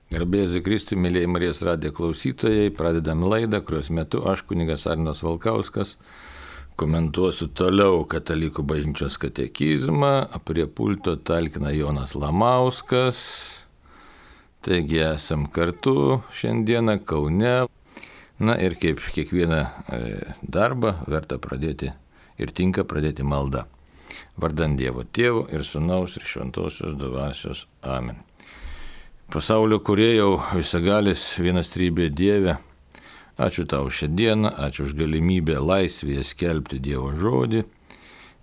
Garbėsiu Kristui, mėlyjei Marijos radijo klausytojai, pradedam laidą, kurios metu aš, kunigas Arnas Valkauskas, komentuosiu toliau Katalikų bažnyčios katekizmą, prie pulto talkina Jonas Lamauskas. Taigi esam kartu šiandieną Kaune. Na ir kaip kiekvieną darbą verta pradėti ir tinka pradėti maldą. Vardant Dievo Tėvo ir Sūnaus ir Šventosios Dvasios. Amen. Pasaulio kūrėjau, visagalis vienas trybė Dieve, ačiū tau šią dieną, ačiū už galimybę laisvėje skelbti Dievo žodį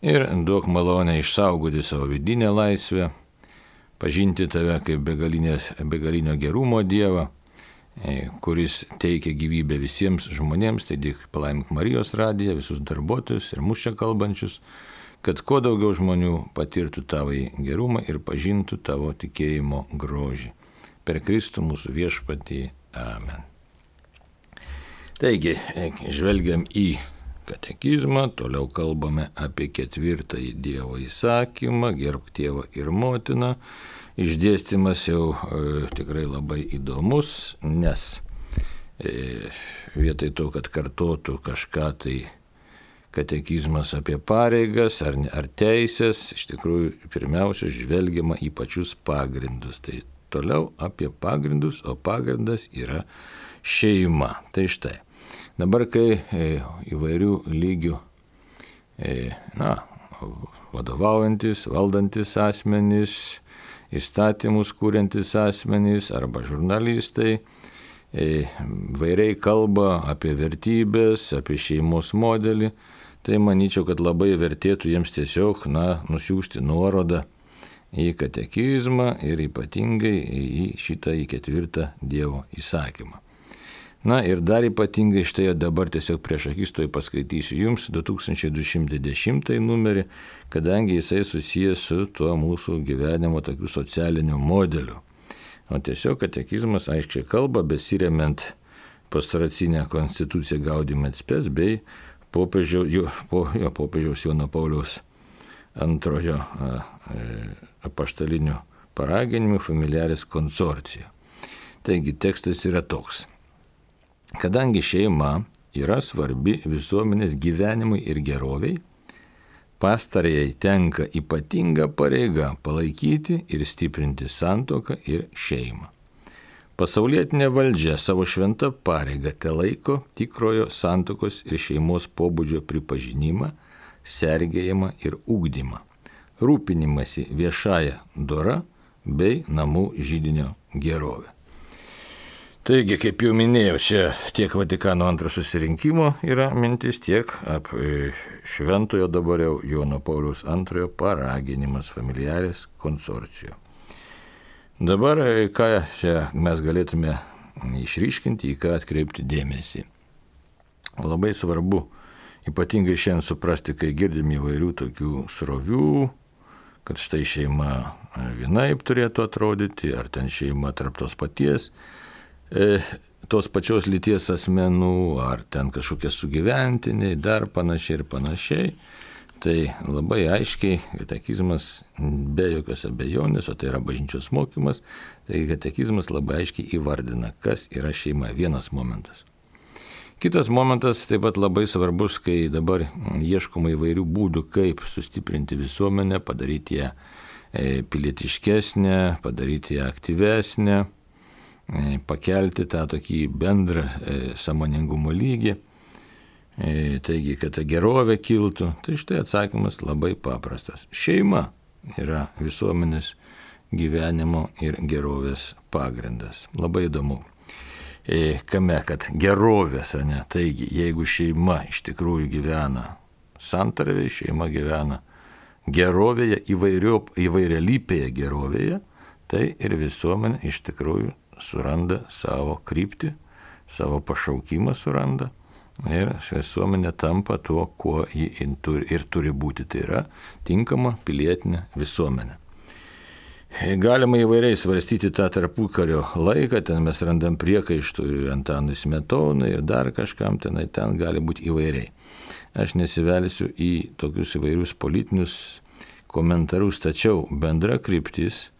ir duok malonę išsaugoti savo vidinę laisvę, pažinti tave kaip begalinio gerumo Dievą, kuris teikia gyvybę visiems žmonėms, taigi palaimink Marijos radiją, visus darbuotojus ir mus čia kalbančius, kad kuo daugiau žmonių patirtų tavąjį gerumą ir pažintų tavo tikėjimo grožį. Per Kristų mūsų viešpatį. Amen. Taigi, žvelgiam į katekizmą, toliau kalbame apie 4 Dievo įsakymą, gerbk tėvą ir motiną. Išdėstymas jau tikrai labai įdomus, nes vietoj to, kad kartotų kažką tai katekizmas apie pareigas ar teisės, iš tikrųjų pirmiausia žvelgiama į pačius pagrindus. Tai toliau apie pagrindus, o pagrindas yra šeima. Tai štai, dabar kai įvairių lygių vadovaujantis, valdantis asmenys, įstatymus kūriantis asmenys arba žurnalistai vairiai kalba apie vertybės, apie šeimos modelį, tai manyčiau, kad labai vertėtų jiems tiesiog nusiųsti nuorodą į katekizmą ir ypatingai į šitą 4 Dievo įsakymą. Na ir dar ypatingai štai dabar tiesiog prieš akis paskaitysiu jums 2210 numerį, kadangi jisai susijęs su tuo mūsų gyvenimo tokiu socialiniu modeliu. O tiesiog katekizmas aiškiai kalba, besiremiant pastoracinę konstituciją Gaudium et Spes bei popiežiaus Jono Pauliaus antrojo apaštalinių paraginimų Familiaris Consortio. Taigi tekstas yra toks. Kadangi šeima yra svarbi visuomenės gyvenimui ir geroviai, pastarajai tenka ypatinga pareiga palaikyti ir stiprinti santuoką ir šeimą. Pasaulietinė valdžia savo šventą pareigą telaiko tikrojo santuokos ir šeimos pobūdžio pripažinimą, sergėjimą ir ugdymą, rūpinimąsi viešąją dora bei namų židinio gerovę. Taigi, kaip jau minėjau, čia tiek Vatikano II susirinkimo yra mintis, tiek šventojo dabar jau Jono Pauliaus II paraginimas Familiaris Consortio. Dabar, ką čia mes galėtume išryškinti, į ką atkreipti dėmesį. Labai svarbu ypatingai šiandien suprasti, kai girdim įvairių tokių srovių, kad štai šeima vienaip turėtų atrodyti, ar ten šeima tarp tos pačios lyties asmenų, ar ten kažkokie sugyventiniai, dar panašiai ir panašiai. Tai labai aiškiai katekizmas, be jokios abejonės, o tai yra bažnyčios mokymas, tai katekizmas labai aiškiai įvardina, kas yra šeima. Vienas momentas. Kitas momentas taip pat labai svarbus, kai dabar ieškoma įvairių būdų, kaip sustiprinti visuomenę, padaryti ją pilietiškesnę, padaryti ją aktyvesnę, pakelti tą tokį bendrą sąmoningumo lygį, taigi, kad ta gerovė kiltų. Tai štai atsakymas labai paprastas. Šeima yra visuomenės gyvenimo ir gerovės pagrindas. Labai įdomu. Kame, kad gerovės, taigi, jeigu šeima iš tikrųjų gyvena santarvėje, šeima gyvena gerovėje, įvairialypėje gerovėje, tai ir visuomenė iš tikrųjų suranda savo kryptį, savo pašaukimą suranda ir visuomenė tampa tuo, kuo ji ir turi būti, tai yra tinkama pilietinė visuomenė. Galima įvairiai svarstyti tą tarpukario laiką, ten mes randam priekaištų Antanui Smetonai ir dar kažkam, ten gali būti įvairiai. Aš nesivelsiu į tokius įvairius politinius komentarus, tačiau bendra kryptis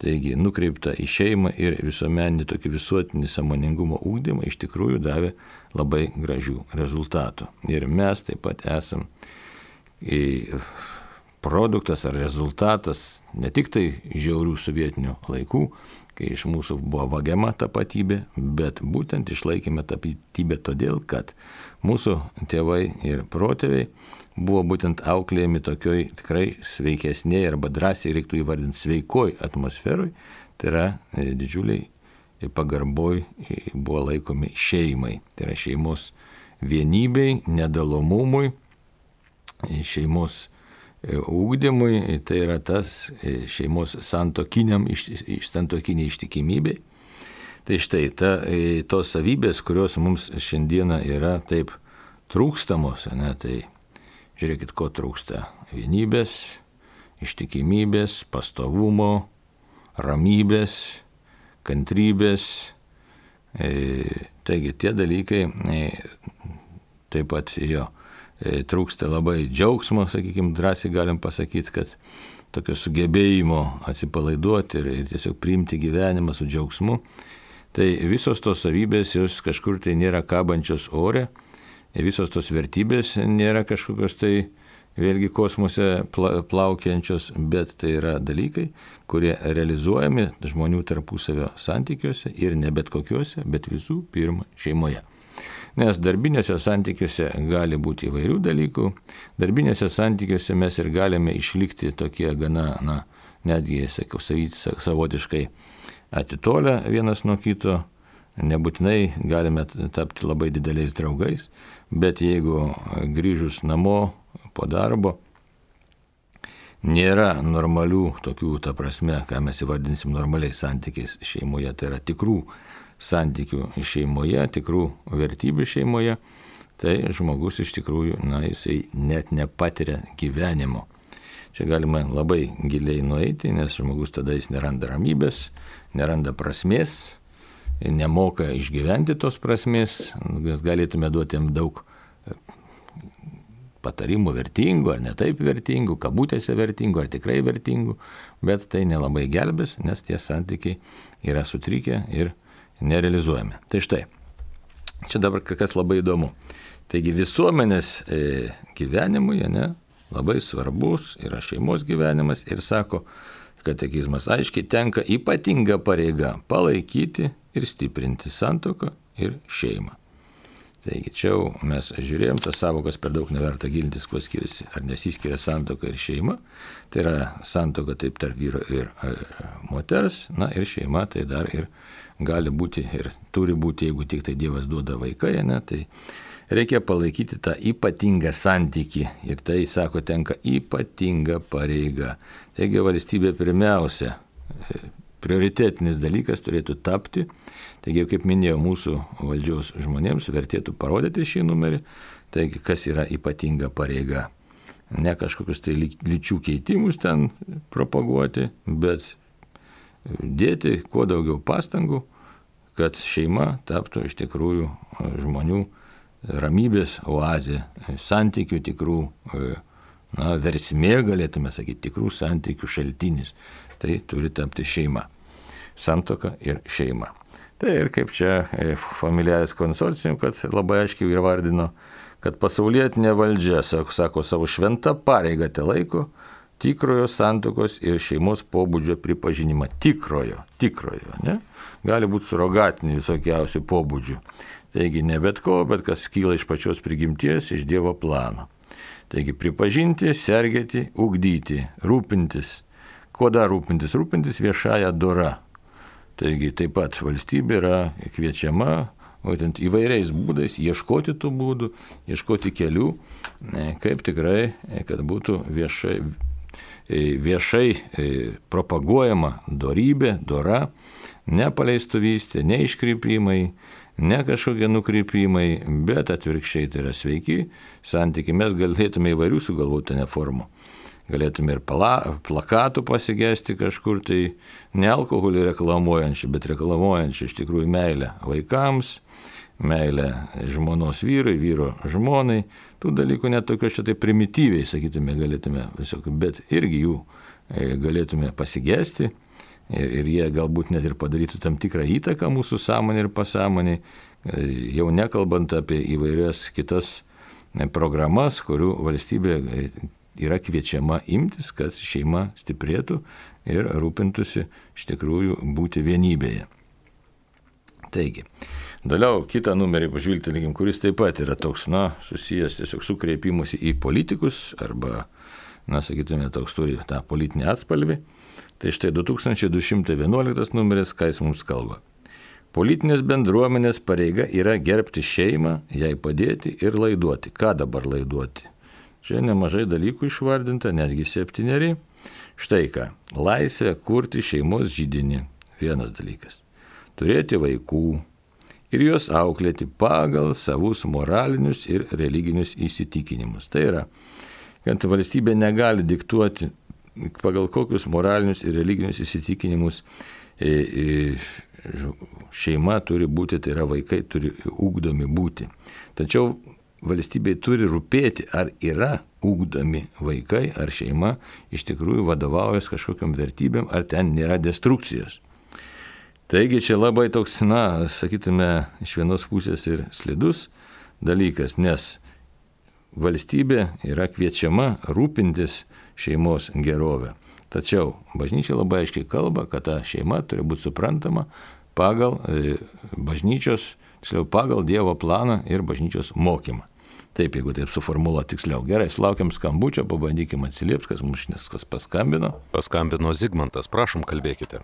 taigi nukreipta į šeimą ir visuomeninį tokį visuotinį sąmoningumo ugdymą iš tikrųjų davė labai gražių rezultatų. Ir mes taip pat esam produktas ar rezultatas ne tik tai žiaurių sovietinių laikų, kai iš mūsų buvo vagiama tapatybė, bet būtent išlaikėme tapatybę todėl, kad mūsų tėvai ir protėviai buvo būtent auklėjami tokioj tikrai sveikesnėje arba drąsiai reiktų įvardinti sveikoj atmosferoj, tai yra didžiuliai pagarboj buvo laikomi šeimai, tai yra šeimos vienybei, nedalomumui, šeimos ugdymui, tai yra tas šeimos santuokiniai ištikimybei. Tai štai tos savybės, kurios mums šiandieną yra taip trūkstamos, tai žiūrėkit, ko trūksta. Vienybės, ištikimybės, pastovumo, ramybės, kantrybės. Taigi tie dalykai taip pat trūksta labai džiaugsmo, sakykime, drąsiai galim pasakyti, kad tokio sugebėjimo atsipalaiduoti ir tiesiog priimti gyvenimą su džiaugsmu. Tai visos tos savybės, jos kažkur tai nėra kabančios ore, visos tos vertybės nėra kažkokios tai vėlgi kosmose plaukiančios, bet tai yra dalykai, kurie realizuojami žmonių tarpusavio santykiuose ir ne bet kokiuose, bet visų pirma šeimoje. Nes darbinėse santykiuose gali būti įvairių dalykų. Darbinėse santykiuose mes ir galime išlikti tokie gana, netgi, savotiškai atitolę vienas nuo kito. Nebūtinai galime tapti labai dideliais draugais, bet jeigu grįžus namo po darbo nėra normalių tokių, ta prasme, ką mes įvardinsim normaliais santykiais šeimoje, tai yra tikrų santykių šeimoje, tikrų vertybių šeimoje, tai žmogus iš tikrųjų, jisai net nepatiria gyvenimo. Čia galima labai giliai nueiti, nes žmogus tada jis neranda ramybės, neranda prasmės, nemoka išgyventi tos prasmės, mes galėtume duoti jam daug patarimų vertingų, ar ne taip vertingų, kabutėse vertingų, ar tikrai vertingų, bet tai nelabai gelbės, nes tie santykiai yra sutrikę ir nerealizuojami. Tai štai, čia dabar kas labai įdomu. Taigi visuomenės gyvenimui labai svarbus yra šeimos gyvenimas ir sako, katekizmas aiškiai tenka ypatinga pareiga palaikyti ir stiprinti santuoką ir šeimą. Taigi čia mes žiūrėjom tas savokas, per daug neverta gilintis, kuo skiriasi, ar nesiskiria santuoka ir šeima. Tai yra santuoka taip tarp vyro ir moters, ir šeima tai dar ir gali būti ir turi būti, jeigu tik tai Dievas duoda vaikai, tai reikia palaikyti tą ypatingą santykį ir tai, sako, tenka ypatinga pareiga. Taigi valstybė pirmiausia, prioritetinis dalykas turėtų tapti. Taigi, kaip minėjau, mūsų valdžios žmonėms vertėtų parodyti šį numerį. Taigi, kas yra ypatinga pareiga. Ne kažkokius tai lyčių keitimus ten propaguoti, bet dėti kuo daugiau pastangų, kad šeima taptų iš tikrųjų žmonių ramybės oazė, santykių tikrų, versmė galėtume sakyti, tikrų santykių šaltinis. Tai turi tapti šeima. Santuoka ir šeima. Tai ir kaip čia Familiaris konsorcium, kad labai aiškiai įvardino, kad pasaulietinė valdžia, sako, savo šventą pareigą te laiko tikrojo santuokos ir šeimos pobūdžio pripažinimą. Tikrojo, ne? Gali būti surogatinių visokiausių pobūdžių. Taigi ne bet ko, bet kas kyla iš pačios prigimties, iš Dievo plano. Taigi pripažinti, sergėti, ugdyti, rūpintis. Kuo dar rūpintis? Rūpintis viešąją dora. Taigi taip pat valstybė yra kviečiama būtent įvairiais būdais ieškoti tų būdų, ieškoti kelių, kaip tikrai, kad būtų viešai propaguojama dorybė, dora, ne paleistuvystė, ne iškrypimai, ne kažkokie nukrypimai, bet atvirkščiai tai yra sveiki santykiai. Mes galėtume įvairių sugalvoti formų. Galėtume ir plakatų pasigesti kažkur, tai ne alkoholį reklamuojančių, bet reklamuojančių iš tikrųjų meilę vaikams, meilę žmonos vyrui, vyro žmonai. Tų dalykų net tokios šitai primityviai, sakytume, galėtume visokių, bet irgi jų galėtume pasigesti. ir jie galbūt net ir padarytų tam tikrą įtaką mūsų sąmonė ir pasąmonė, jau nekalbant apie įvairias kitas programas, kurių valstybė yra kviečiama imtis, kad šeima stiprėtų ir rūpintųsi iš tikrųjų būti vienybėje. Taigi, toliau kitą numerį pažvilgtelėkim, kuris taip pat yra toks, susijęs tiesiog su kreipimusi į politikus arba, sakytume, toks turi tą politinį atspalvį. Tai štai 2211 numeris, ką jis mums kalba. Politinės bendruomenės pareiga yra gerbti šeimą, jai padėti ir laiduoti. Ką dabar laiduoti? Čia nemažai dalykų išvardinta, netgi 7. Štai ką. Laisvė kurti šeimos židinį. Vienas dalykas. Turėti vaikų ir juos auklėti pagal savus moralinius ir religinius įsitikinimus. Tai yra, kad valstybė negali diktuoti, pagal kokius moralinius ir religinius įsitikinimus šeima turi būti, tai yra vaikai turi ugdomi būti. Tačiau valstybei turi rūpėti, ar yra ugdomi vaikai, ar šeima iš tikrųjų vadovaujas kažkokiam vertybėm, ar ten nėra destrukcijos. Taigi čia labai toks, sakytume, iš vienos pusės ir slidus dalykas, nes valstybė yra kviečiama rūpintis šeimos gerovę. Tačiau bažnyčia labai aiškiai kalba, kad ta šeima turi būti suprantama pagal bažnyčios, tiksliau pagal Dievo planą ir bažnyčios mokymą. Taip, jeigu taip suformuluoti tiksliau. Gerai, sulaukiam skambučio, pabandykim atsiliepti, kas paskambino. Paskambino Zigmantas, prašom, kalbėkite.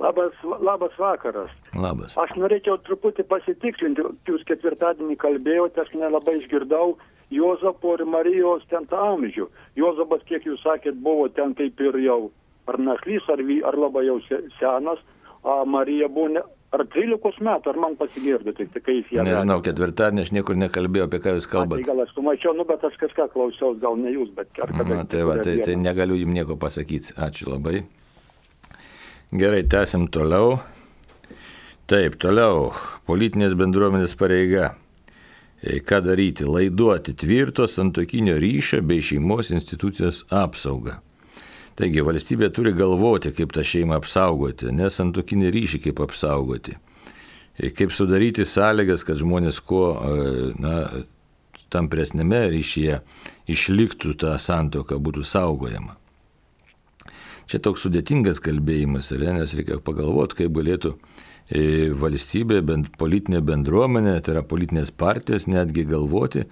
Labas vakaras. Labas. Aš norėčiau truputį pasitikslinti, jūs ketvirtadienį kalbėjote, aš nelabai išgirdau Juozapo ir Marijos ten tą amžių. Juozapas, kiek jūs sakėt, buvo ten kaip ir jau ar našlys, ar labai jau senas, o Marija buvo ar 13 metų, ar man pasigirdo, tai kai jis ją... Nežinau, ketvirtadienį aš niekur nekalbėjau, apie ką jūs kalbate. Tai gal aš sumačiau, bet aš kažką klausiaus, gal ne jūs, bet... Tai negaliu jums nieko pasakyti. Ačiū labai. Gerai, tęsim toliau. Taip, toliau. Politinės bendruomenės pareiga. Ką daryti? Laiduoti tvirto santuokinio ryšio bei šeimos institucijos apsaugą. Taigi, valstybė turi galvoti, kaip tą šeimą apsaugoti, ne santuokinį ryšį kaip apsaugoti. Kaip sudaryti sąlygas, kad žmonės kuo tampresnėme ryšyje išliktų ta santuoka, būtų saugojama. Čia toks sudėtingas kalbėjimas, nes reikia pagalvoti, kaip galėtų valstybė, politinė bendruomenė, tai yra politinės partijos, netgi galvoti,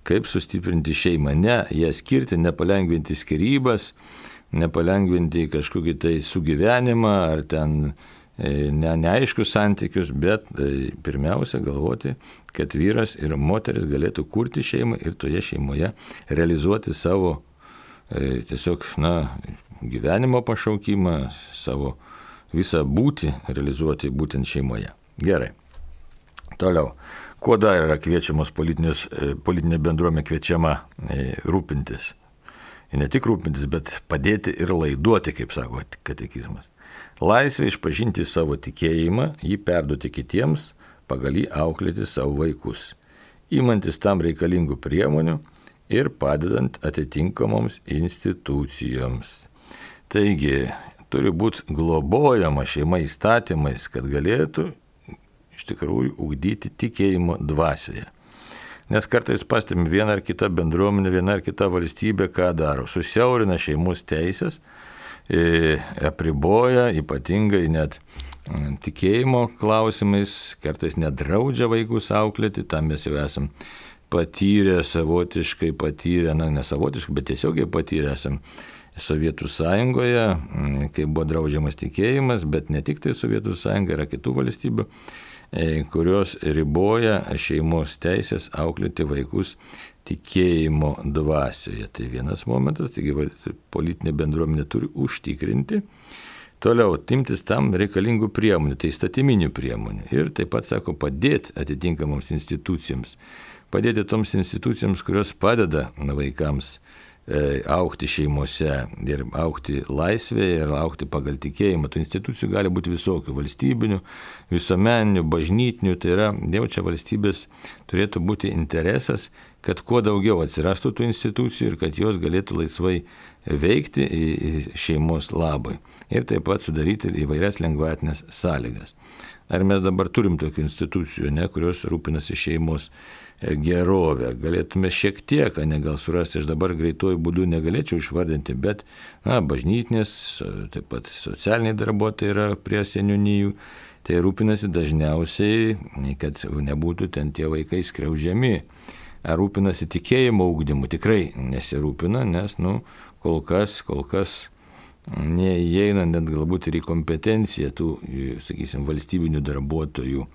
kaip sustiprinti šeimą. Ne ją skirti, nepalengvinti skyrybas, nepalengvinti kažkokį tai sugyvenimą ar ten neaiškius santykius, bet pirmiausia galvoti, kad vyras ir moteris galėtų kurti šeimą ir toje šeimoje realizuoti savo tiesiog gyvenimo pašaukimą, savo visą būtį realizuoti būtent šeimoje. Gerai. Toliau. Kuo dar yra kviečiamos politinė bendruomenė kviečiama rūpintis? Ir ne tik rūpintis, bet padėti ir laiduoti, kaip sako katekizmas. Laisvė išpažinti savo tikėjimą, jį perduoti kitiems, pagal jį auklėti savo vaikus, įmantis tam reikalingų priemonių ir padedant atitinkamoms institucijoms. Taigi, turi būti globojama šeima įstatymais, kad galėtų iš tikrųjų ugdyti tikėjimo dvasioje. Nes kartais pastebim vieną ar kitą bendruomenę, vieną ar kitą valstybę, ką daro. Susiaurina šeimos teisės, apriboja ypatingai net tikėjimo klausimais, kartais nedraudžia vaikus auklėti, tam mes jau esam patyrę, savotiškai patyrę, ne savotiškai, bet tiesiogiai patyrę esam Sovietų sąjungoje, kai buvo draudžiamas tikėjimas, bet ne tik tai Sovietų sąjunga, yra kitų valstybių, kurios riboja šeimos teisės auklėti vaikus tikėjimo dvasioje. Tai vienas momentas, taigi politinė bendruomenė turi užtikrinti. Toliau, imtis tam reikalingų priemonių, tai įstatyminių priemonių. Ir taip pat, sako, padėti atitinkamoms institucijoms. Padėti toms institucijoms, kurios padeda vaikams augti šeimose ir augti laisvėje ir augti pagal tikėjimą. Tų institucijų gali būti visokių, valstybinių, visuomeninių, bažnytinių, tai yra, jau čia valstybės turėtų būti interesas, kad kuo daugiau atsirastų tų institucijų ir kad jos galėtų laisvai veikti šeimos labai. ir taip pat sudaryti įvairias lengvatinės sąlygas. Ar mes dabar turim tokių institucijų, kurios rūpinasi šeimos gerovę? Galėtume šiek tiek, gal surasti, aš dabar greituoju būdu negalėčiau išvardinti, bet bažnytinės, taip pat socialiniai darbuotojai yra prie seniūnijų, tai rūpinasi dažniausiai, kad nebūtų ten tie vaikai skriaudžiami. Ar rūpinasi tikėjimo ugdymu? Tikrai nesirūpina, nes kol kas neįeina net galbūt ir į kompetenciją tų, sakysim, valstybinių darbuotojų.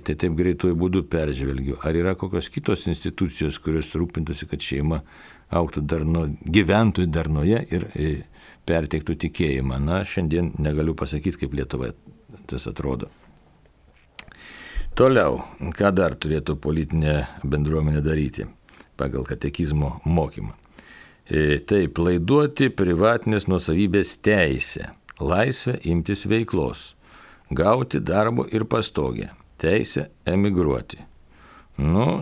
Tai taip greituoju būdu peržvelgiu. Ar yra kokios kitos institucijos, kurios rūpintųsi, kad šeima augtų gyventų darnoje ir perteiktų tikėjimą? Šiandien negaliu pasakyti, kaip Lietuvoje tas atrodo. Toliau, ką dar turėtų politinė bendruomenė daryti pagal katekizmo mokymą? Taip, laiduoti privatinės nuosavybės teisę, laisvę imtis veiklos, gauti darbo ir pastogę, teisę emigruoti.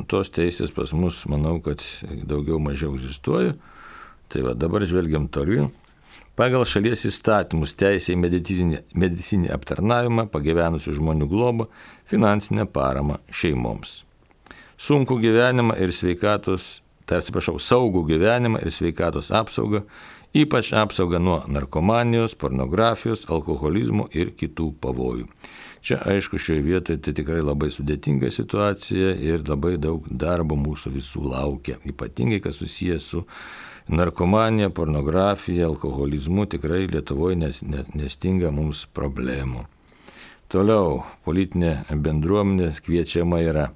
Tos teisės pas mus, manau, kad daugiau mažiau egzistuoja. Tai dabar žvelgiam toliau. Pagal šalies įstatymus teisė į medicinį aptarnavimą, pagyvenusių žmonių globą, finansinę paramą šeimoms. Saugų gyvenimą ir sveikatos apsaugą, ypač apsaugą nuo narkomanijos, pornografijos, alkoholizmo ir kitų pavojų. Čia, aišku, šioje vietoje tai tikrai labai sudėtinga situacija ir labai daug darbo mūsų visų laukia. Ypatingai, kas susijęs su narkomanija, pornografija, alkoholizmu, tikrai Lietuvoje nestinga mums problemų. Toliau, politinė bendruomenė kviečiama yra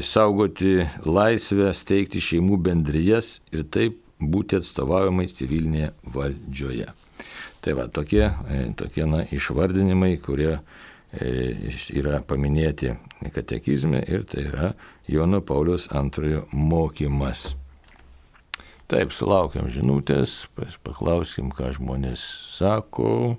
saugoti laisvę, steigti šeimų bendrijas ir taip būti atstovaujamais civilinėje valdžioje. Tai tokie išvardinimai, kurie yra paminėti katekizme ir tai yra Jono Pauliaus II mokymas. Taip, sulaukiam žinutės, paklauskim, ką žmonės sako.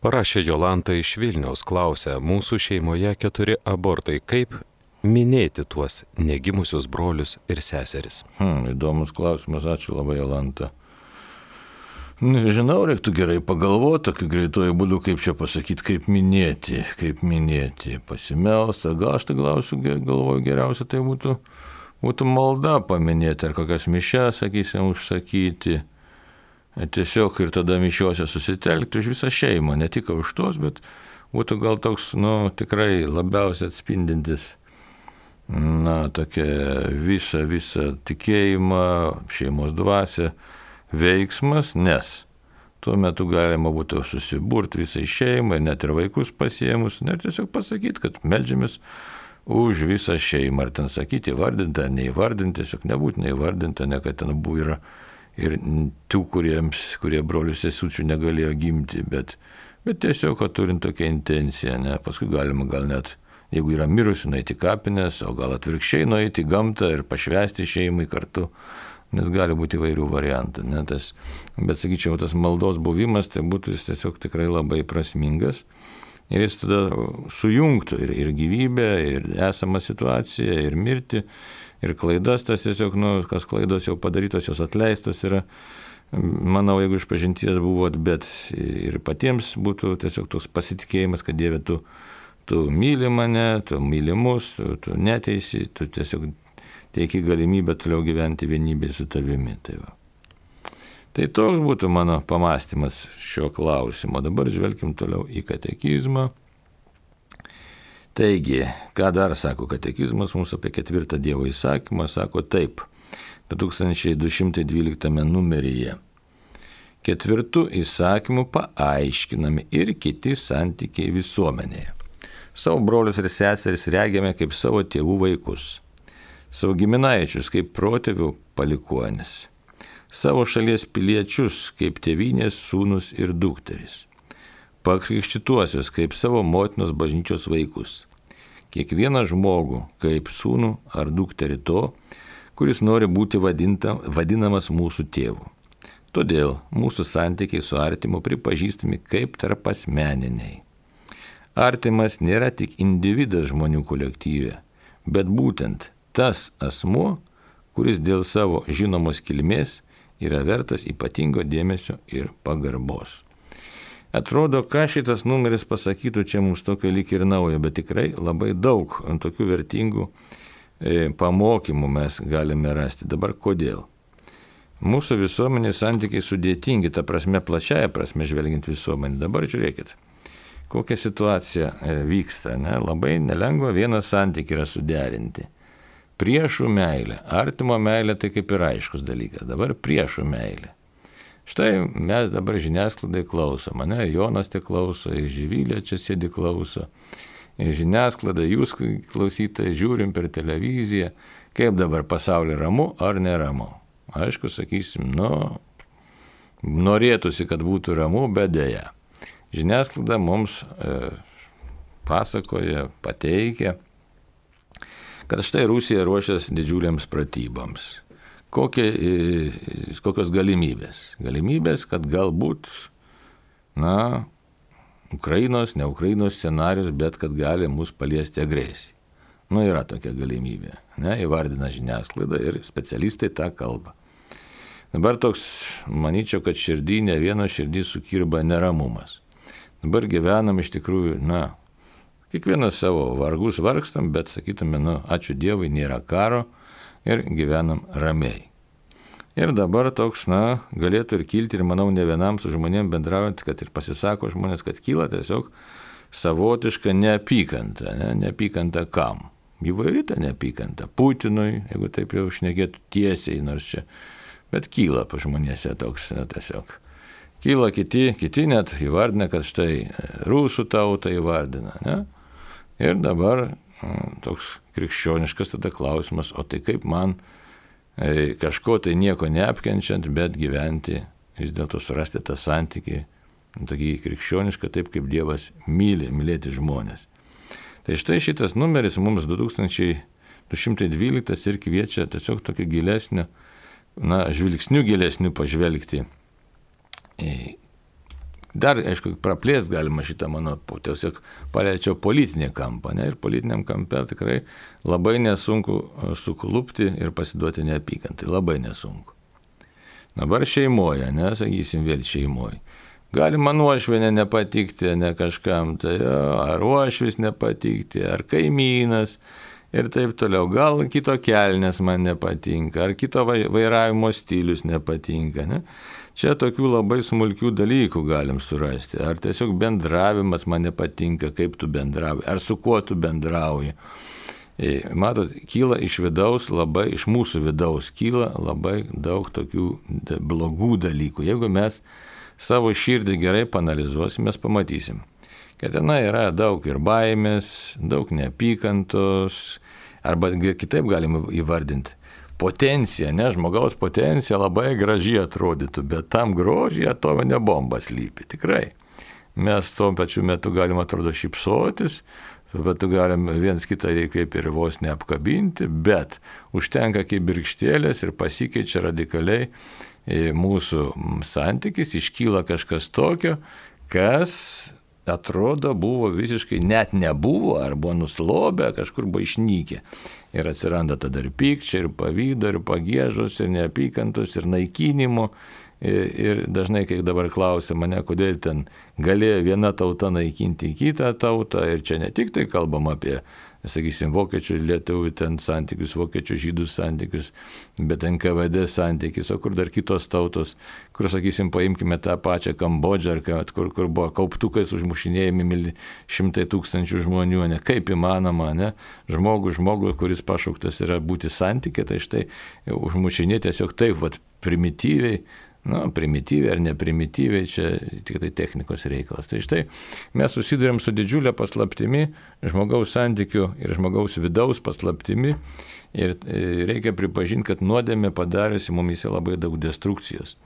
Parašė Jolanta iš Vilniaus, klausia, mūsų šeimoje 4 abortai, kaip minėti tuos negimusius brolius ir seseris? Įdomus klausimas, ačiū labai, Jolanta. Nežinau, reiktų gerai pagalvoti, tokiu greituoju būdu, kaip čia pasakyti, kaip minėti, pasimelsta. Gal aš tai galvoju, geriausia tai būtų malda paminėti, ar kokias mišias, sakysim, užsakyti. Tiesiog ir tada mišiuose susitelkti už visą šeimą, ne tik už tos, bet būtų gal toks, tikrai labiausiai atspindintis tokia visą tikėjimą, šeimos dvasią veiksmas, nes tuo metu galima būtų susiburti visai šeimai, net ir vaikus pasiėmus, ir tiesiog pasakyti, kad meldžiamės už visą šeimą, ar ten sakyti įvardinti, ar neįvardinti, tiesiog nebūtinai įvardinti, ne kad ten buvo yra ir tų, kurie brolių sesučių negalėjo gimti, bet tiesiog, kad turint tokią intenciją, paskui galima gal net, jeigu yra mirusių, nueiti kapinės, o gal atvirkščiai nueiti į gamtą ir pašvęsti šeimai kartu, nes gali būti įvairių variantų. Bet sakyčiau, tas maldos buvimas, tai būtų jis tiesiog tikrai labai prasmingas ir jis tada sujungtų ir gyvybę, ir esamą situaciją, ir mirtį, ir klaidas, tas tiesiog, kas klaidos jau padarytos, jos atleistos yra, manau, jeigu iš pažinties buvot, bet ir patiems būtų tiesiog toks pasitikėjimas, kad Dieve, tu myli mane, tu myli mus, tu neteisi, tu tiesiog teiki galimybę toliau gyventi vienybėje su tavimi. Tai toks būtų mano pamąstymas šio klausimo. Dabar žvelkim toliau į katekizmą. Taigi, ką dar sako katekizmas mums apie 4 Dievo įsakymą, sako taip, 2212 numeryje. 4 įsakymų paaiškinami ir kiti santykiai visuomenėje. Savo brolius ir seseris regėme kaip savo tėvų vaikus, savo giminaičius kaip protėvių palikuonis, savo šalies piliečius kaip tėvynės sūnus ir dukteris, pakrikštytuosius kaip savo motinos bažnyčios vaikus, kiekvieną žmogų kaip sūnų ar dukterį to, kuris nori būti vadinamas mūsų tėvu. Todėl mūsų santykiai su artimu pripažįstami kaip tarpasmeniniai. Artimas nėra tik individas žmonių kolektyve, bet būtent tas asmuo, kuris dėl savo žinomos kilmės yra vertas ypatingo dėmesio ir pagarbos. Atrodo, ką šitas numeris pasakytų, čia mums tokio lyg ir naujo, bet tikrai labai daug tokių vertingų pamokymų mes galime rasti. Dabar kodėl? Mūsų visuomenės santykiai sudėtingi, ta prasme, plačiaja prasme žvelgiant visuomenį. Dabar žiūrėkit, kokia situacija vyksta. Ne? Labai nelengva vieną santykį yra suderinti. Priešų meilė, artimo meilė tai kaip ir aiškus dalykas. Dabar priešų meilė. Štai mes dabar žiniasklaidai klausom, mane Jonas te klauso, Živilė čia sėdi klauso, žiniasklaida, jūs klausytai, žiūrim per televiziją, kaip dabar pasaulyje ramu ar neramu. Aišku, sakysim, norėtųsi, kad būtų ramu, bet dėja. Žiniasklaida mums pasakoja, pateikia, kad štai Rusija ruošiasi didžiuliams pratyboms. Kokios galimybės? Galimybės, kad galbūt, Ukrainos, ne Ukrainos scenarius, bet kad gali mus paliesti agresija. Yra tokia galimybė, įvardina žiniasklaida ir specialistai tą kalba. Dabar toks, manyčiau, kad širdį, ne vieno širdį sukirba neramumas. Dabar gyvenam iš tikrųjų, kiekvienas savo vargus vargstam, bet sakytume, ačiū Dievui, nėra karo. Ir gyvenam ramiai. Ir dabar toks, galėtų ir kilti, ir manau, ne vienam su žmonėm bendraujant, kad ir pasisako žmonės, kad kyla tiesiog savotiška neapykanta. Neapykanta kam? Įvairi ta neapykanta. Putinui, jeigu taip jau šnekėtų tiesiai, nors čia, bet kyla pa žmonėse toks, tiesiog. Kyla kiti net įvardina, kad štai rusų tautą įvardina, Ir dabar toks krikščioniškas tada klausimas, o tai kaip man kažko tai nieko neapkenčiant, bet gyventi, vis dėlto surasti tą santykį, tokį krikščionišką, taip kaip Dievas mylėti žmonės. Tai štai šitas numeris mums 2212 ir kviečia tiesiog tokio gilesnio, žvilgsnių gilesnių pažvelgti. Dar, aišku, praplėst galima šitą mano, tiesiog paliečiau politinį kampą, ir politiniam kampe tikrai labai nesunku suklupti ir pasiduoti neapykantai, labai nesunku. Dabar šeimoje, sakysim vėl šeimoje. Galima nuošvienė nepatikti, ne kažkam, tai ar uošvis nepatikti, ar kaimynas ir taip toliau. Gal kito kelnes man nepatinka, ar kito vairavimo stilius nepatinka, Čia tokių labai smulkių dalykų galim surasti. Ar tiesiog bendravimas man nepatinka, kaip tu bendrauji, ar su kuo tu bendrauji. Matot, kyla iš mūsų vidaus kyla labai daug tokių blogų dalykų. Jeigu mes savo širdį gerai panalizuosim, mes pamatysim, kad ten yra daug ir baimės, daug neapykantos, arba kitaip galim įvardinti. Potencija, žmogaus potencija labai gražiai atrodytų, bet tam grožyje atominė bomba slypi, tikrai. Mes tuo pačiu metu galim, atrodo, šypsotis, tuo metu galim viens kitą kaip ir vos neapkabinti, bet užtenka kibirkštėlės ir pasikeičia radikaliai mūsų santykis, iškyla kažkas tokio, kas atrodo buvo visiškai net nebuvo, ar buvo nuslobę, kažkur buvo išnykę. Ir atsiranda tada ir pykčia, ir pavydo, ir pagiežos, ir neapykantos, ir naikinimo. Ir dažnai, kai dabar klausia mane, kodėl ten galėjo viena tauta naikinti kitą tautą, ir čia ne tik tai kalbam apie, sakysim, vokiečių lietuvių ten santykius, vokiečių žydų santykius, bet NKVD santykis, o kur dar kitos tautos, kur, sakysim, paimkime tą pačią Kambodžą, kur buvo kauptukais užmušinėjami šimtai tūkstančių žmonių, kaip įmanoma, žmogų, kuris pašauktas yra būti santykė, tai štai užmušinė tiesiog taip, primityviai, primityviai ar neprimityviai, čia tik tai technikos reikalas. Tai štai mes susidurėm su didžiulė paslaptimi, žmogaus santykių ir žmogaus vidaus paslaptimi, ir reikia pripažinti, kad nuodėmė padariusi mumise labai daug destrukcijos.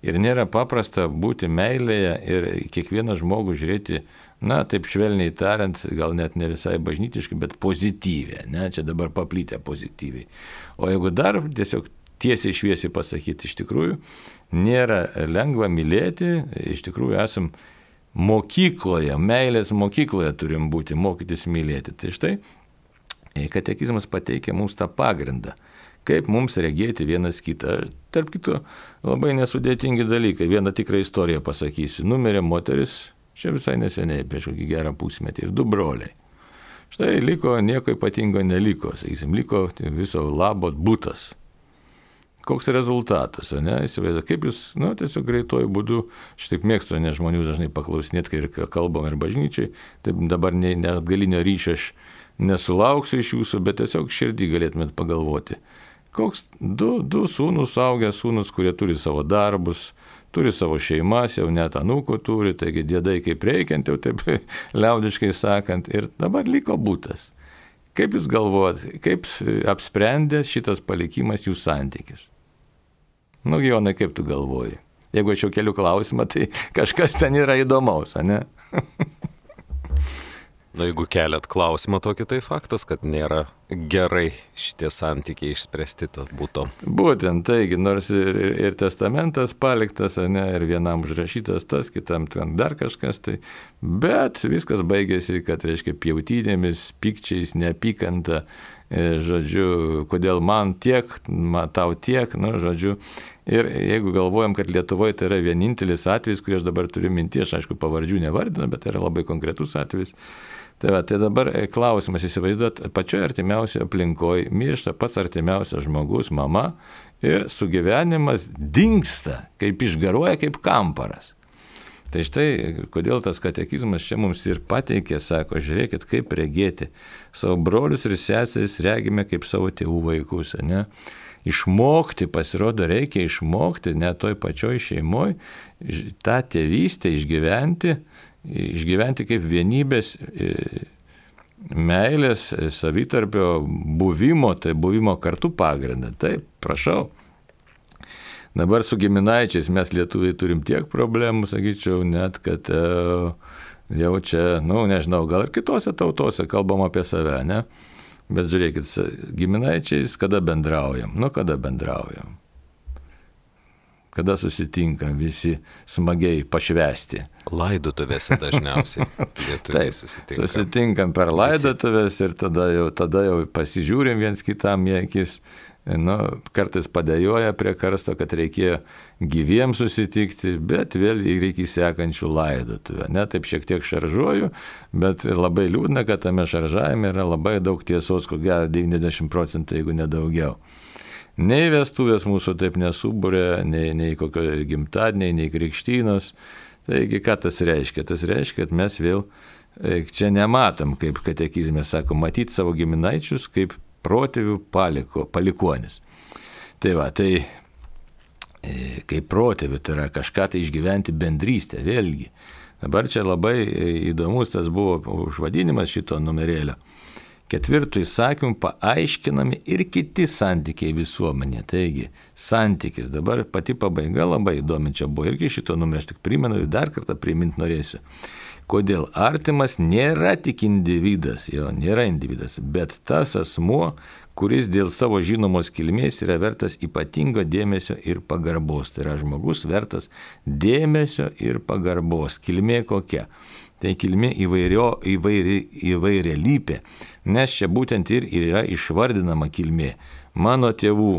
Ir nėra paprasta būti meilėje ir kiekvieną žmogų žiūrėti, taip švelniai tariant, gal net ne visai bažnytiškai, bet pozityviai, čia dabar paplytę pozityviai. O jeigu dar tiesiog tiesiai šviesiai pasakyti, iš tikrųjų, nėra lengva mylėti, iš tikrųjų esam mokykloje, meilės mokykloje turim būti, mokytis mylėti. Tai štai, katekizmas pateikia mums tą pagrindą, kaip mums regėti vienas kitą. Tarp kitų, labai nesudėtingi dalykai. Vieną tikrą istoriją pasakysiu. Numirė moteris, čia visai neseniai, prieš kokį gerą pusmetį, ir 2 broliai. Štai liko, nieko ypatingo neliko, sakysim, liko viso labo butas. Koks rezultatas, ne? Įsivaizduoju, kaip jūs, tiesiog greituoju būdu, aš taip mėgstu, nes žmonių dažnai paklausinėti, kai kalbam ir bažnyčiai, taip dabar net galinio ryšio aš nesulauksiu iš jūsų, bet tiesiog širdį galėtumėt pagalvoti. Koks 2 sūnus, suaugęs sūnus, kurie turi savo darbus, turi savo šeimas, jau net anūkų turi, taigi dėdai kaip reikiant, jau taip liaudiškai sakant, ir dabar liko butas. Kaip jūs galvojat, kaip apsprendė šitas palikimas jų santykius? Jonai, kaip tu galvoji? Jeigu aš jau keliu klausimą, tai kažkas ten yra įdomaus, ne? Jeigu keliat klausimą tokį, tai faktas, kad nėra gerai šitie santykiai išspręsti tas būtų. Būtent, taigi, nors ir testamentas paliktas, ne, ir vienam užrašytas tas, kitam ten dar kažkas, tai, bet viskas baigėsi, kad, reiškia, pjautynėmis, pykčiais, neapykanta, žodžiu, kodėl man tiek, tau tiek, žodžiu. Ir jeigu galvojam, kad Lietuvoje tai yra vienintelis atvejis, kurį aš dabar turiu minti, aš aišku pavardžių nevardinu, bet tai yra labai konkretus atvejis. Tai dabar klausimas, įsivaizduot, pačioje artimiausioje aplinkoje miršta pats artimiausias žmogus, mama, ir sugyvenimas dingsta, kaip išgaruoja, kaip kamparas. Tai štai, kodėl tas katekizmas čia mums ir pateikė, sako, žiūrėkit, kaip regėti. Savo brolius ir seseris regime kaip savo tėvų vaikus, ne? Išmokti, pasirodo, reikia išmokti, net toj pačioj šeimoje, tą tėvystę išgyventi kaip vienybės, meilės, savitarpio buvimo, tai buvimo kartu pagrindą. Taip, prašau. Dabar su giminaičiais mes lietuviai turim tiek problemų, sakyčiau, net kad jau čia, nežinau, gal ir kitose tautose kalbam apie save, ne? Bet žiūrėkit, giminaičiais kada bendraujam? Kada bendraujam? Kada susitinkam visi smagiai pašvęsti? Laidotuvėse dažniausiai. Taip, susitinkam per laidotuvės ir tada jau pasižiūrim viens kitam į akis. Kartais padėjoja prie karsto, kad reikėjo gyviems susitikti, bet vėl reikia sekančių laidotuvę. Taip šiek tiek šaržuoju, bet labai liūdna, kad tame šaržavime yra labai daug tiesos, ko gero 90%, jeigu nedaugiau. Nei vestuvės mūsų taip nesubūrė, nei kokio gimtadieniai, nei krikštynos. Taigi, ką tas reiškia? Tas reiškia, kad mes vėl čia nematom, kaip katekizme sako, matyti savo giminaičius kaip protėvių palikuonis. Tai kaip protėvių, tai yra kažką tai išgyventi bendrystę, vėlgi. Dabar čia labai įdomus tas buvo užvadinimas šito numerėlio. 4 įsakymų paaiškinami ir kiti santykiai visuomenė. Taigi, santykis, dabar pati pabaiga labai įdomi čia buvo, irgi šito numerio, aš tik primenu ir dar kartą priminti norėsiu. Kodėl artimas nėra tik individas, bet tas asmuo, kuris dėl savo žinomos kilmės yra vertas ypatingo dėmesio ir pagarbos. Tai yra žmogus vertas dėmesio ir pagarbos. Kilmė kokia? Tai kilmė įvairialypė, nes čia būtent ir yra išvardinama kilmė. Mano tėvų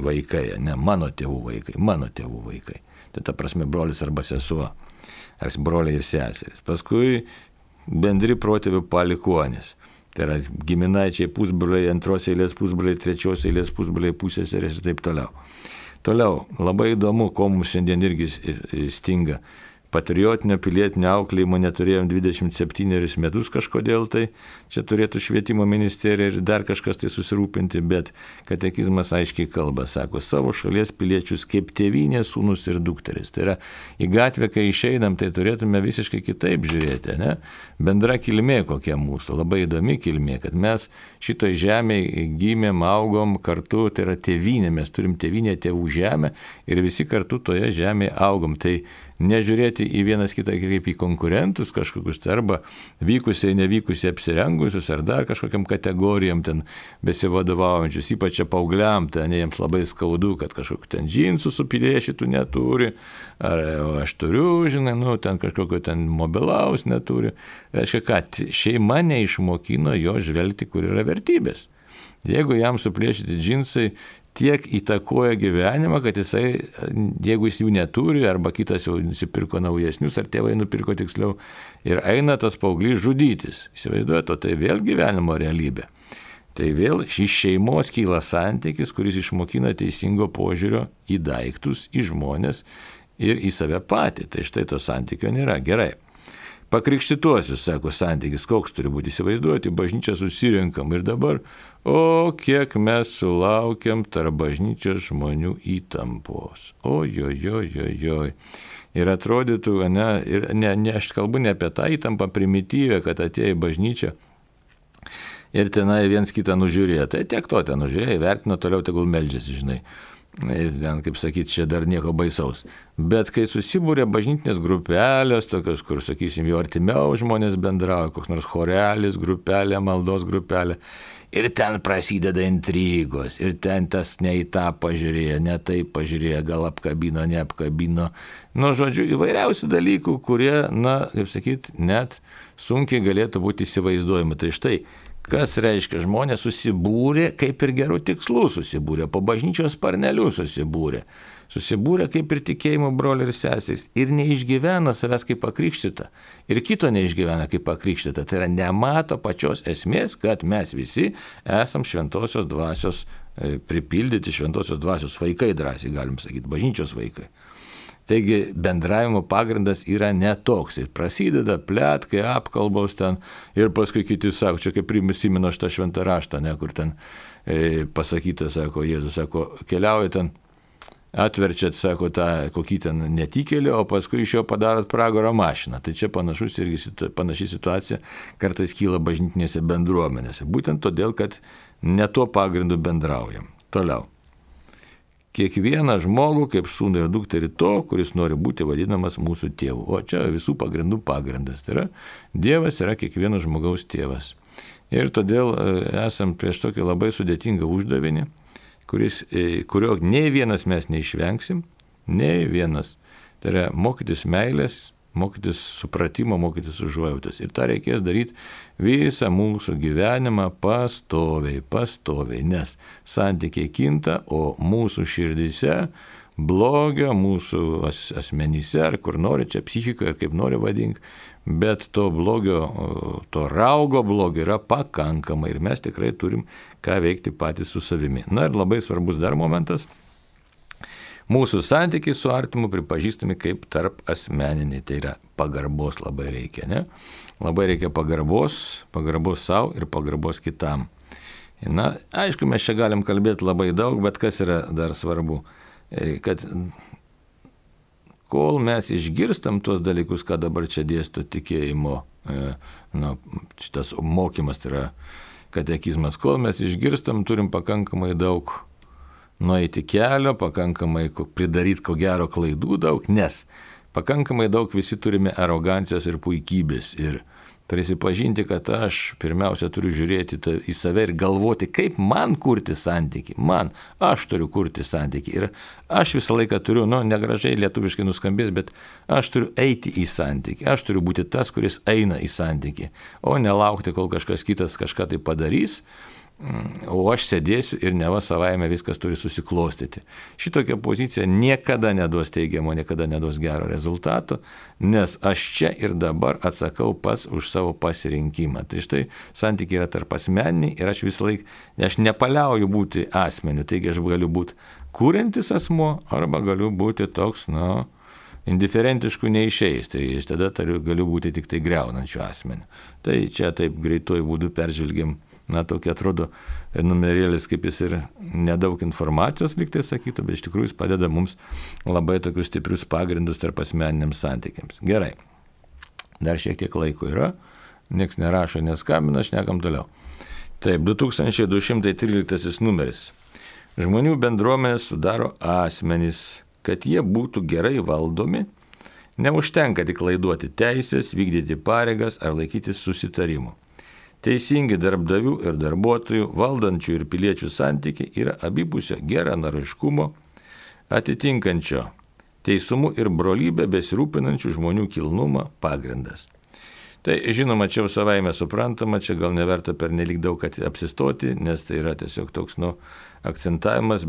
vaikai, ne mano tėvų vaikai, mano tėvų vaikai. Tai ta prasme brolis arba sesuo. Ar broliai ir seserys. Paskui bendri protėvių palikuonis. Tai yra giminaičiai pusbroliai, antros eilės pusbroliai, trečios eilės pusbroliai, pusseserės ir taip toliau. Toliau, labai įdomu, ko mums šiandien irgi stinga. Patriotinio pilietinio auklėjimo neturėjom 27 metus kažkodėl, tai čia turėtų švietimo ministerija ir dar kažkas tai susirūpinti, bet katekizmas aiškiai kalba, sako, savo šalies piliečius kaip tėvynės sūnus ir dukteris. Tai yra, į gatvę, kai išeinam, tai turėtume visiškai kitaip žiūrėti, ne? Bendra kilmė kokia mūsų, labai įdomi kilmė, kad mes šitoj žemėje gimėm, augom kartu, tai yra tėvynė, mes turim tėvynę, tėvų žemę ir visi kartu toje žemėje augom. Tai nežiūrėti į vienas kitą kaip į konkurentus kažkokius, arba vykusiai, nevykusiai apsirengusius, ar dar kažkokiam kategorijam ten besivadovaujančius, ypač čia paaugliam, ten jiems labai skaudu, kad kažkokiu ten džinsų supilėšytų neturi, ar aš turiu, ten kažkokio ten mobilaus neturi. Reiškia, kad šeima neišmokino jo žvelgti, kur yra vertybės. Jeigu jam suplėšyti džinsai tiek įtakoja gyvenimą, kad jisai, jeigu jis jų neturi, arba kitas jau nusipirko naujesnius, ar tėvai nupirko tiksliau, ir eina tas paauglys žudytis. Įsivaizduojate, o tai vėl gyvenimo realybė. Tai vėl iš šeimos kyla santykis, kuris išmokina teisingo požiūrio į daiktus, į žmonės ir į save patį. Tai štai to santykio nėra. Gerai. Pakrikštytuosius, sako, santykis, koks turi būti, įsivaizduoti, bažnyčią susirenkam ir dabar, kiek mes sulaukiam tarp bažnyčios žmonių įtampos. Ojojojojoj. Ir atrodytų, aš kalbu ne apie tą įtampą primityvę, kad atėjo į bažnyčią ir tenai viens kitą nužiūrėjo. Tai tiek to ten nužiūrėjo, vertino, toliau tegul meldžiasi, žinai. Ir ten, kaip sakyti, čia dar nieko baisaus. Bet kai susibūrė bažnytinės grupelės, tokios, kur, sakysim, jau artimiau žmonės bendrauja, koks nors chorelis grupelė, maldos grupelė, ir ten prasideda intrigos, ir ten tas ne į tą pažiūrėjo, ne taip pažiūrėjo, gal apkabino, neapkabino. Žodžiu, įvairiausių dalykų, kurie, kaip sakyti, net sunkiai galėtų būti įsivaizduojami. Tai štai, kas reiškia, žmonės susibūrė, kaip ir gerų tikslų susibūrė, po bažnyčios sparnelių susibūrė kaip ir tikėjimo broliai ir seserys, ir neišgyvena savęs kaip pakrikštyta, ir kito neišgyvena kaip pakrikštyta. Tai yra, nemato pačios esmės, kad mes visi esam šventosios dvasios pripildyti, šventosios dvasios vaikai, drąsiai galim sakyti, bažnyčios vaikai. Taigi bendravimo pagrindas yra netoks. Ir prasideda pletkai, apkalbos ten, ir paskui kiti sako, čia kaip prisimenu šitą šventą raštą, kur ten pasakyta, sako, Jėzus, sako, keliauja ten, atverčiat, sako, tą kokį ten netikėlį, o paskui iš jo padarot pragaro mašiną. Tai čia panaši situacija kartais kyla bažnytinėse bendruomenėse. Būtent todėl, kad ne tuo pagrindu bendraujam. Toliau. Kiekvieną žmogų kaip sūnų ir dukterį to, kuris nori būti vadinamas mūsų tėvu. O čia visų pagrindų pagrindas. Tai yra, Dievas yra kiekvieno žmogaus tėvas. Ir todėl esam prieš tokį labai sudėtingą uždavinį, kurio nei vienas mes neišvengsim, nei vienas. Tai yra mokytis meilės, mokytis supratimo, mokytis užuojautos. Ir tą reikės daryti visą mūsų gyvenimą pastoviai, nes santykiai kinta, o mūsų širdyse blogio, mūsų asmenyse, ar kur nori, čia psichikoje, ar kaip nori vadink, bet to blogio, to raugo blogio yra pakankamai ir mes tikrai turim ką veikti patys su savimi. Ir labai svarbus dar momentas. Mūsų santykiai su artimu pripažįstami kaip tarp asmeniniai, tai yra pagarbos labai reikia, ne? Labai reikia pagarbos savo ir pagarbos kitam. Aišku, mes čia galim kalbėti labai daug, bet kas yra dar svarbu, kad kol mes išgirstam tuos dalykus, ką dabar čia dėsto tikėjimo, šitas mokymas, tai yra katekizmas, kol mes išgirstam, turim pakankamai daug nueiti kelio, pakankamai pridaryti ko gero klaidų daug, nes pakankamai daug visi turime arogancijos ir puikybės ir prisipažinti, kad aš pirmiausia turiu žiūrėti į save ir galvoti, kaip man kurti santykį. Aš turiu kurti santykį ir aš visą laiką turiu, negražiai lietuviškai nuskambės, bet aš turiu eiti į santykį. Aš turiu būti tas, kuris eina į santykį, o nelaukti, kol kažkas kitas kažką tai padarys, o aš sėdėsiu ir neva savaime viskas turi susiklostyti. Šitokia pozicija niekada neduos teigiamo, niekada neduos gero rezultato, nes aš čia ir dabar atsakau pats už savo pasirinkimą. Tai štai santykiai yra tarp asmeniniai ir aš visą laiką, aš nepaliauju būti asmeniu, taigi aš galiu būti kuriantis asmuo arba galiu būti toks, indiferentiškų neišeis, tai iš tada galiu būti tik tai griaunančių asmenių. Tai čia taip greituoju būdu peržvelgiam. Tokia atrodo numerėlis, kaip jis ir nedaug informacijos liktai sakytų, bet iš tikrųjų jis padeda mums labai tokius stiprius pagrindus tarp asmeniniams santykiams. Gerai, dar šiek tiek laiko yra, nieks nerašo, neskambina, šnekam toliau. Taip, 2213 numeris. Žmonių bendruomenės sudaro asmenys, kad jie būtų gerai valdomi, neužtenka tik laiduoti teisės, vykdyti pareigas ar laikytis susitarimų. Teisingi darbdavių ir darbuotojų, valdančių ir piliečių santykiai yra abipusio geranoriškumo, atitinkančio teisumu ir brolybę besirūpinančių žmonių kilnumą pagrindas. Tai žinoma, čia jau savaime suprantama, čia gal neverta per nelik daug apsistoti, nes tai yra tiesiog toks, akcentavimas,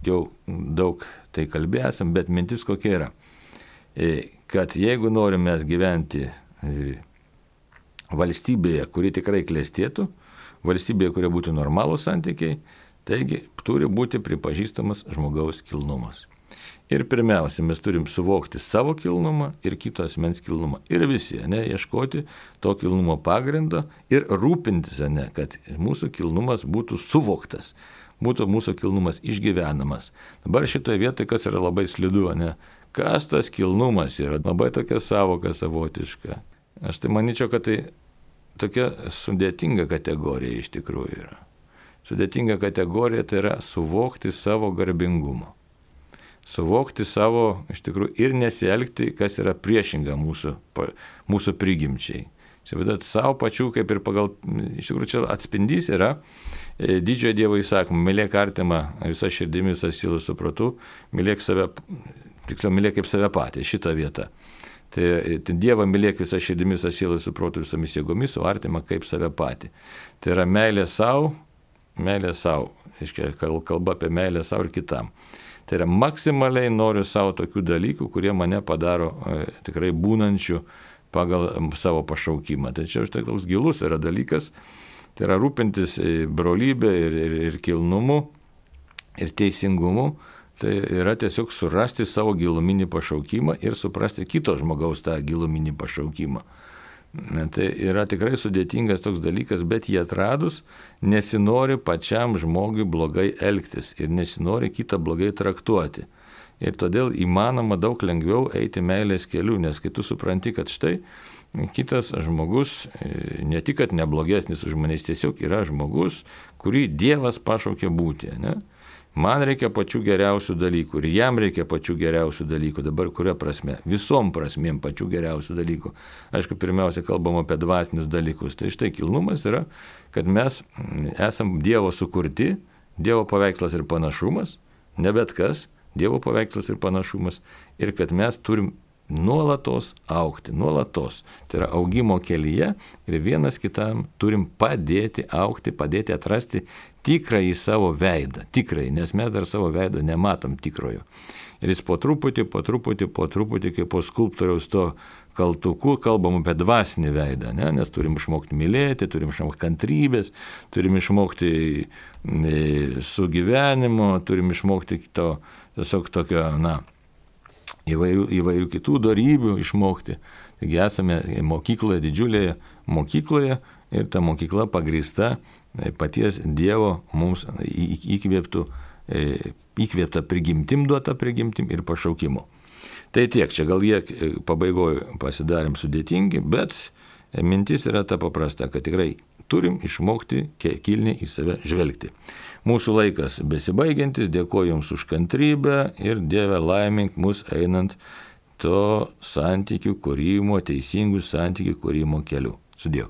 jau daug tai kalbėsim, bet mintis kokia yra, kad jeigu norime mes gyventi valstybėje, kuri tikrai klestėtų, valstybėje, kuria būtų normalūs santykiai, taigi turi būti pripažįstamas žmogaus kilnumas. Ir pirmiausia, mes turim suvokti savo kilnumą ir kito asmens kilnumą. Ir visi, ieškoti to kilnumo pagrindo ir rūpintis, kad mūsų kilnumas būtų suvoktas, būtų mūsų kilnumas išgyvenamas. Dabar šitoje vietoje, kas yra labai slidu, kas tas kilnumas yra, labai tokia savoka savotiška. Aš tai manyčiau, kad tai tokia sudėtinga kategorija iš tikrųjų yra. Sudėtinga kategorija tai yra suvokti savo garbingumą. Suvokti savo, iš tikrųjų, ir nesielgti, kas yra priešinga mūsų prigimčiai. Čia vadinat, savo pačių, kaip ir pagal, iš tikrųjų, čia atspindys yra didžiojo Dievo įsakymą, mylėk artimą visą širdimi, visą sielą supratu, mylėk save, tiksliau, mylėk kaip save patį, šitą vietą. Tai Dievą mylėk visą širdimi, visą sielą supratu, visomis jėgomis, o artimą kaip save patį. Tai yra meilė savo, kalba apie meilę savo ir kitam. Tai yra maksimaliai noriu savo tokių dalykų, kurie mane padaro tikrai būnančių pagal savo pašaukimą. Tai čia štai toks gilus yra dalykas, tai yra rūpintis brolybė ir kilnumu ir teisingumu, tai yra tiesiog surasti savo giluminį pašaukimą ir suprasti kito žmogaus tą giluminį pašaukimą. Tai yra tikrai sudėtingas toks dalykas, bet jį atradus nesinori pačiam žmogui blogai elgtis ir nesinori kitą blogai traktuoti. Ir todėl įmanoma daug lengviau eiti meilės keliu, nes kai tu supranti, kad štai kitas žmogus ne tik, kad neblogesnis už manęs, tiesiog yra žmogus, kurį Dievas pašaukė būti. Man reikia pačių geriausių dalykų ir jam reikia pačių geriausių dalykų. Dabar kuria prasme? Visom prasmėm pačių geriausių dalykų. Aišku, pirmiausia, kalbam apie dvasinius dalykus. Tai štai kilnumas yra, kad mes esam Dievo sukurti, Dievo paveikslas ir panašumas, ne bet kas, Dievo paveikslas ir panašumas, ir kad mes turim nuolatos augti, nuolatos. Tai yra augimo kelyje ir vienas kitam turim padėti augti, padėti atrasti tikrąjį savo veidą, tikrąjį, nes mes dar savo veido nematom tikrojo. Ir jis po truputį, kaip po skulptoriaus to kaltuku, kalbam apie dvasinį veidą, nes turim išmokti mylėti, turim išmokti kantrybės, turim išmokti sugyvenimo, turim išmokti to, tiesiog tokio, įvairių kitų dorybių išmokti. Taigi esame mokykloje, didžiulėje mokykloje ir ta mokykla pagrįsta paties Dievo mums įkvėpta prigimtim, duota prigimtim ir pašaukimu. Tai tiek, čia gal jie pabaigoje pasidarėm sudėtingi, bet mintis yra ta paprasta, kad tikrai turim išmokti kilniai į save žvelgti. Mūsų laikas besibaigiantis, dėkoju Jums už kantrybę ir Dieve laimink mus einant to santykių kūrimo, teisingų santykių kūrimo keliu. Sudie.